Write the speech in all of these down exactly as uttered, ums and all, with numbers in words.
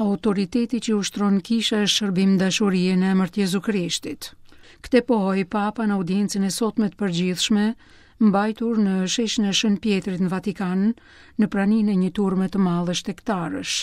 Autoriteti që ushtron kisha është shërbim dashurie në emër të Jezu Krishtit. Këtë pohoi Papa në audiencën e sotme të përgjithshme, mbajtur në sheshin e Shën Pjetrit në Vatikan, në praninë e një turme të madhe shtegtarësh.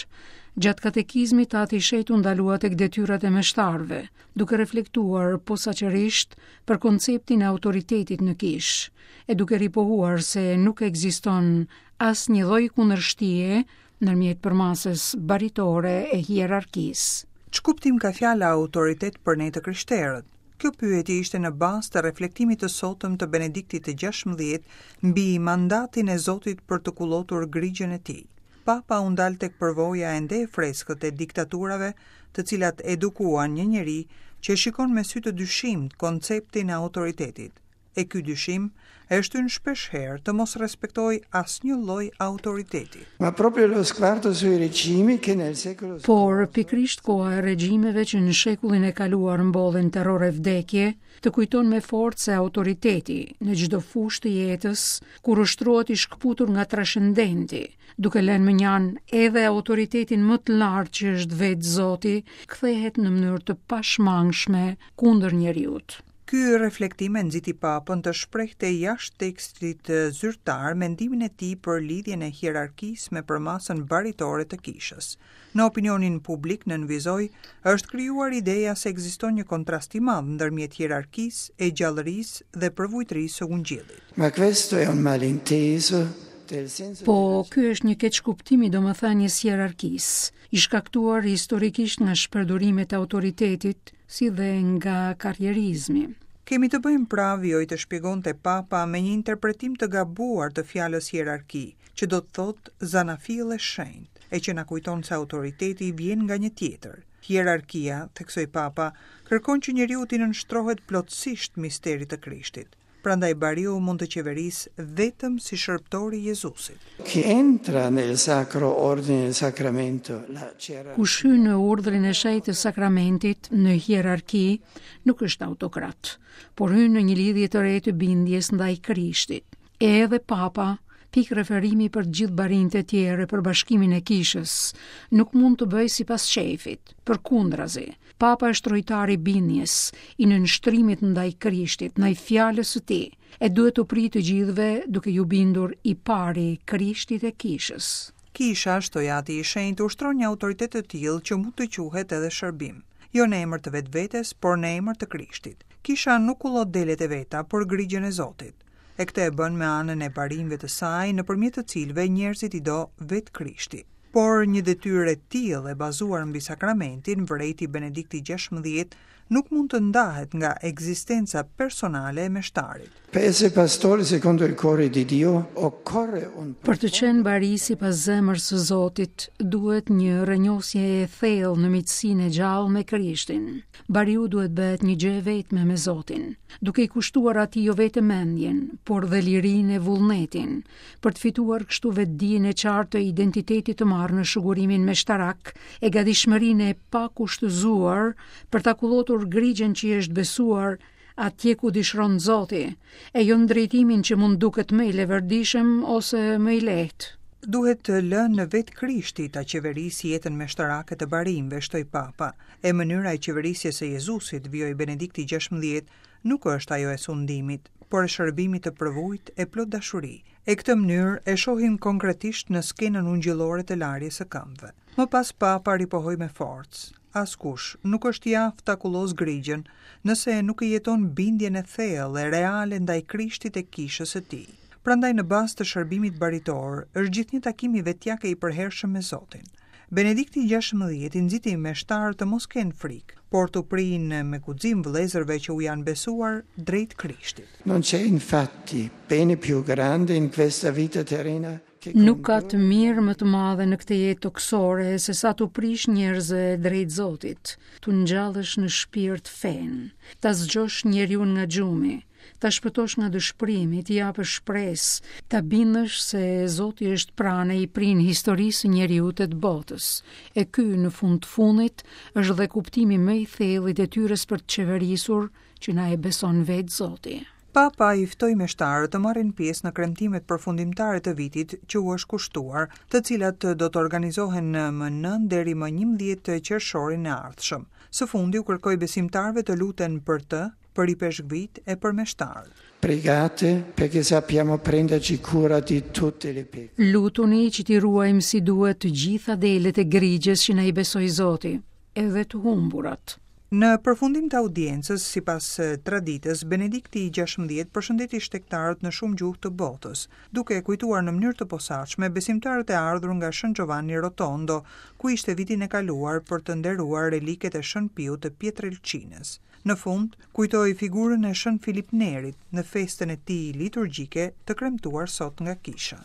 Gjatë katekizmit, Ati i Shenjtë u ndalua tek detyrat e meshtarëve, duke reflektuar posaçërisht për konceptin e autoritetit në kishë, e duke ripohuar se nuk ekziston asnjë lloj kundërshtie ndërmjet përmasës baritore e hierarkisë. Ç'kuptim ka fjala autoritet për ne të krishterët? Kjo pyetje ishte në bazë të reflektimit të sotëm të Benediktit të gjashtëmbëdhjetë mbi mandatin e Zotit për të kullotur grigjën e tij. Papa u ndal tek përvoja ende e freskët e diktaturave, të cilat edukuan një njeri që e shikon me sy të dyshimtë konceptin e autoritetit. E ky dyshim e shtyn shpesh herë të mos respektojë asnjë lloj autoriteti. Ma proprio lo sguardo sui regimi che nel secolo Por pikërisht koha e regjimeve që në shekullin e kaluar mbollen terror e vdekje, të kujton me forcë se autoriteti në çdo fushë të jetës, kur ushtrohet i shkëputur nga trascendenti, duke lënë mënjanë edhe autoritetin më të lartë që është vetë Zoti, kthehet në mënyrë të pashmangshme kundër njeriut. Ky reflektim e nxiti Papën të shprehte jashtë tekstit zyrtar mendimin e tij për lidhjen e hierarkisë me përmasën baritore të kishës. Në opinionin publik nënvizoi, është krijuar ideja se ekziston një kontrast i madh ndërmjet hierarkisë e gjallërisë dhe përvujtërisë së ungjillit. Ma questo è un malinteso del senso Po, ky është një keqkuptim i domethënies hierarkisë, i shkaktuar historikisht nga shpërdorimet e autoritetit, si dhe nga karrierizmi. Kemi të bëjmë pra, vijoi të shpjegonte Papa, me një interpretim të gabuar të fjalës hierarki, që do të thotë zanafillë e shenjtë, e që na kujton se autoriteti vjen nga një tjetër. Hierarkia, theksoi Papa, kërkon që njeriu t'i nënshtrohet plotësisht misterit të Krishtit. Prandaj bariu mund të qeverisë vetëm si shërbëtor i Jezusit. Chi entra nel sacro ordine del sacramento, la gerarchia. Kush hyn në urdhrin e shenjtë të sakramentit në hierarki, nuk është autokrat, por hyn në një lidhje të re të bindjes ndaj Krishtit. Edhe Papa, pikë referimi për të gjithë barinjtë e tjerë për bashkimin e kishës, nuk mund të bëjë sipas qejfit, përkundrazi. Papa është rojtari i bindjes, i nënshtrimit ndaj Krishtit, ndaj fjalës së tij, e duhet të prijë të gjithëve duke ju bindur i pari Krishtit e kishës. Kisha, shtoi Ati i Shenjtë, ushtron një autoritet të tillë që mund të quhet edhe shërbim, jo në emër të vetvetes, por në emër të Krishtit. Kisha nuk kullot delet e veta, por grigjën e Zotit. E këtë e bën me anën e barinjve të saj, nëpërmjet të cilëve njerëzit i do vetë Krishti. Por një detyrë e tillë e bazuar mbi sakramentin, vërejti Benedikti gjashtëmbëdhjetë, nuk mund të ndahet nga ekzistenca personale e meshtarit. Per essere pastore secondo il cuore di Dio occorre un Për të qenë bari sipas zemrës së Zotit, duhet një rrënjosje e thellë në miqësinë e gjallë me Krishtin. Bariu duhet bëhet një gjë e vetme me Zotin, duke i kushtuar atij jo vetëm mendjen, por dhe lirinë e vullnetin, për të fituar kështu vetëdijen e qartë të identitetit të marrë në shugurimin meshtarak e gatishmërinë e pakushtëzuar për ta kullotur grigjën që i është besuar atje ku dëshiron Zoti, e jo në drejtimin që mund duket më i leverdishëm ose më i lehtë. Duhet të lënë në vetë Krishti ta qeverisë jetën meshtarake të barinjve, shtoi Papa. E mënyra e qeverisjes së Jezusit, vijoi Benedikti gjashtëmbëdhjetë, nuk është ajo e sundimit, por e shërbimit të përvujt e plot dashuri. E këtë mënyrë e shohim konkretisht në skenën ungjillore të larjes së këmbëve. Më pas Papa ripohoi me forcë. Askush nuk është i aftë ta kullos grigjën nëse nuk e jeton bindjen e thellë e reale ndaj Krishtit e kishës së tij. Prandaj në bazë të shërbimit baritor është gjithnjë takimi vetjak e i përhershëm me Zotin. Benedikti gjashtëmbëdhjetë i nxiti meshtarët të mos kenë frikë, por të prijnë me guxim vëllezërve që u janë besuar drejt Krishtit. Non c'è infatti bene più grande in questa vita terrena che Nuk ka të mirë më të madhe në këtë jetë tokësore se sa t'u prish njerëzve drejt Zotit, t'u ngjallësh në shpirt fenë, ta zgjosh njeriu nga gjumi, ta shpëtosh nga dëshpërimi, t'i japësh shpresë, ta bindësh se Zoti është pranë e i prin historisë së njeriut e të botës. E ky në fund të fundit është dhe kuptimi më i thellë i detyrës për të qeverisur që na e beson vetë Zoti. Papa i ftoi meshtarët të marrin pjesë në kremtimet përfundimtare të vitit që u është kushtuar, të cilat do të organizohen më nëntë deri më njëmbëdhjetë qershorin e ardhshëm. Së fundi u kërkoi besimtarëve të luten për të, për ipeshkvit e për meshtarët. Pregate perché sappiamo prenderci cura di tutte le pecore. Lutuni që t'i ruajmë si duhet të gjitha delet e grigjes që na i besoi Zoti, edhe të humburat. Në përfundim të audiencës, sipas traditës, Benedikti i gjashtëmbëdhjetë përshëndeti shtegtarët në shumë gjuhë të botës, duke e kujtuar në mënyrë të posaçme besimtarët e ardhur nga Shën Giovanni Rotondo, ku ishte vitin e kaluar për të nderuar reliket e Shën Piut të Pietrelcinës. Në fund, kujtoi figurën e Shën Filip Nerit në festën e tij liturgjike të kremtuar sot nga kisha.